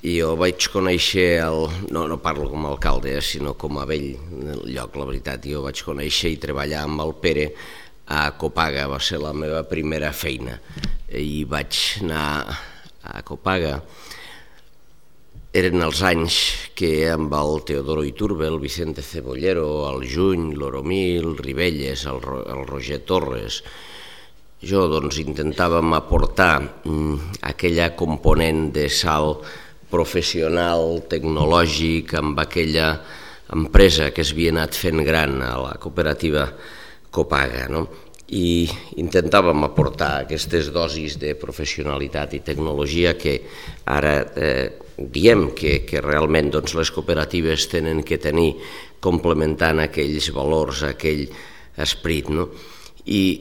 Jo vaig conèixer, no parlo com a alcalde, sinó com a vell del lloc, la veritat. Jo vaig conèixer i treballar amb el Pere a Copaga, va ser la meva primera feina. I vaig anar a Copaga. Eren els anys que amb el Teodoro Iturbe, el Vicente Cebollero, el Juny, l'Oromil, el Ribelles, el Roger Torres, jo intentàvem aportar aquella component de salt professional, tecnològic, amb aquella empresa que s'havia anat fent gran a la cooperativa Copaga, i intentàvem aportar aquestes dosis de professionalitat i tecnologia que ara diem que realment les cooperatives tenen que tenir, complementant aquells valors, aquell esperit, i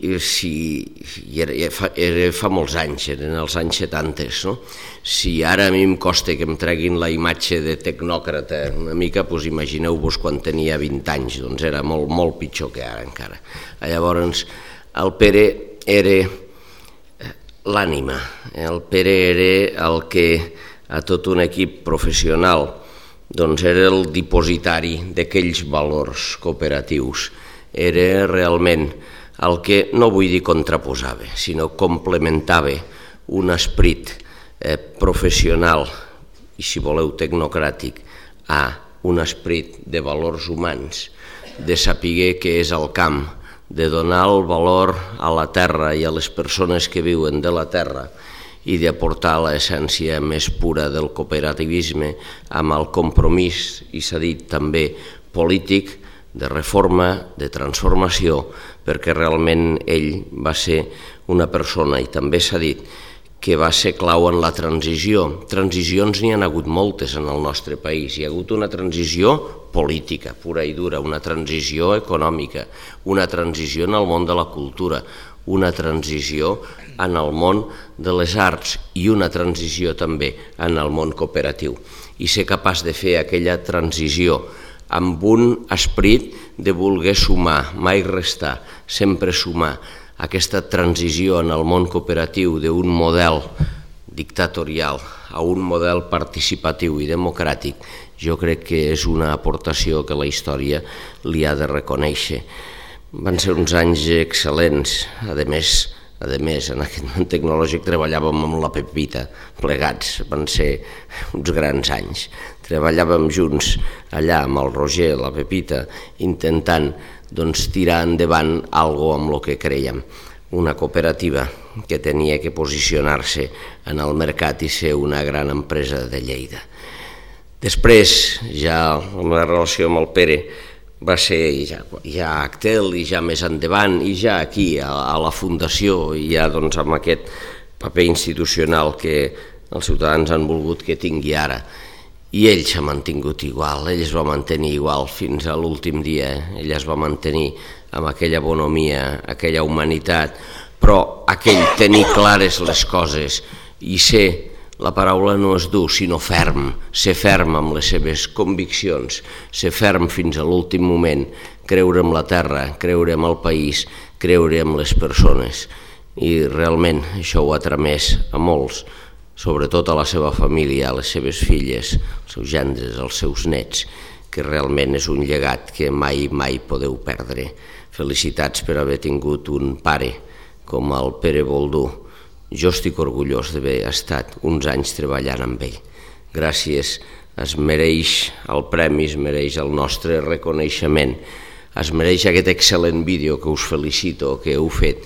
era fa molts anys, eren els anys 70, si ara a mi em costa que em treguin la imatge de tecnòcrata una mica, doncs imagineu-vos quan tenia 20 anys, doncs era molt pitjor que ara encara. Llavors el Pere era l'ànima, el Pere era el que a tot un equip professional era el dipositari d'aquells valors cooperatius, era realment el que, no vull dir contraposava, sinó complementava un esperit professional i, si voleu, tecnocràtic a un esperit de valors humans, de saber què és el camp, de donar el valor a la terra i a les persones que viuen de la terra i d'aportar l'essència més pura del cooperativisme amb el compromís, i s'ha dit també polític, de reforma, de transformació, perquè realment ell va ser una persona, i també s'ha dit, que va ser clau en la transició. Transicions n'hi ha hagut moltes en el nostre país. Hi ha hagut una transició política, pura i dura, una transició econòmica, una transició en el món de la cultura, una transició en el món de les arts i una transició també en el món cooperatiu. I ser capaç de fer aquella transició amb un esperit de voler sumar, mai restar, sempre sumar, aquesta transició en el món cooperatiu d'un model dictatorial a un model participatiu i democràtic, jo crec que és una aportació que la història li ha de reconèixer. Van ser uns anys excel·lents, a més, en aquest moment tecnològic treballàvem amb la Pepita, plegats, van ser uns grans anys. Treballàvem junts allà amb el Roger, la Pepita, intentant tirar endavant alguna cosa amb el que crèiem, una cooperativa que tenia que posicionar-se en el mercat i ser una gran empresa de Lleida. Després, ja la meva relació amb el Pere va ser ja a Actel i ja més endavant i ja aquí a la Fundació i ja amb aquest paper institucional que els ciutadans han volgut que tingui ara. I ell s'ha mantingut igual, ell es va mantenir igual fins a l'últim dia, ell es va mantenir amb aquella bonomia, aquella humanitat, però aquell tenir clares les coses i ser, la paraula no és dur, sinó ferm, ser ferm amb les seves conviccions, ser ferm fins a l'últim moment, creure en la terra, creure en el país, creure en les persones. I realment això ho ha tramès a molts, sobretot a la seva família, a les seves filles, als seus gendres, als seus nets, que realment és un llegat que mai podeu perdre. Felicitats per haver tingut un pare com el Pere Boldú. Jo estic orgullós d'haver estat uns anys treballant amb ell. Gràcies, es mereix el premi, es mereix el nostre reconeixement, es mereix aquest excel·lent vídeo que us felicito que heu fet,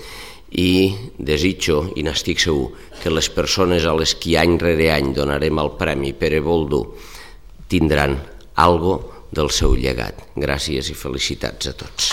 i desitjo, i n'estic segur, que les persones a les que any rere any donarem el Premi Pere Boldú tindran algo del seu llegat. Gràcies i felicitats a tots.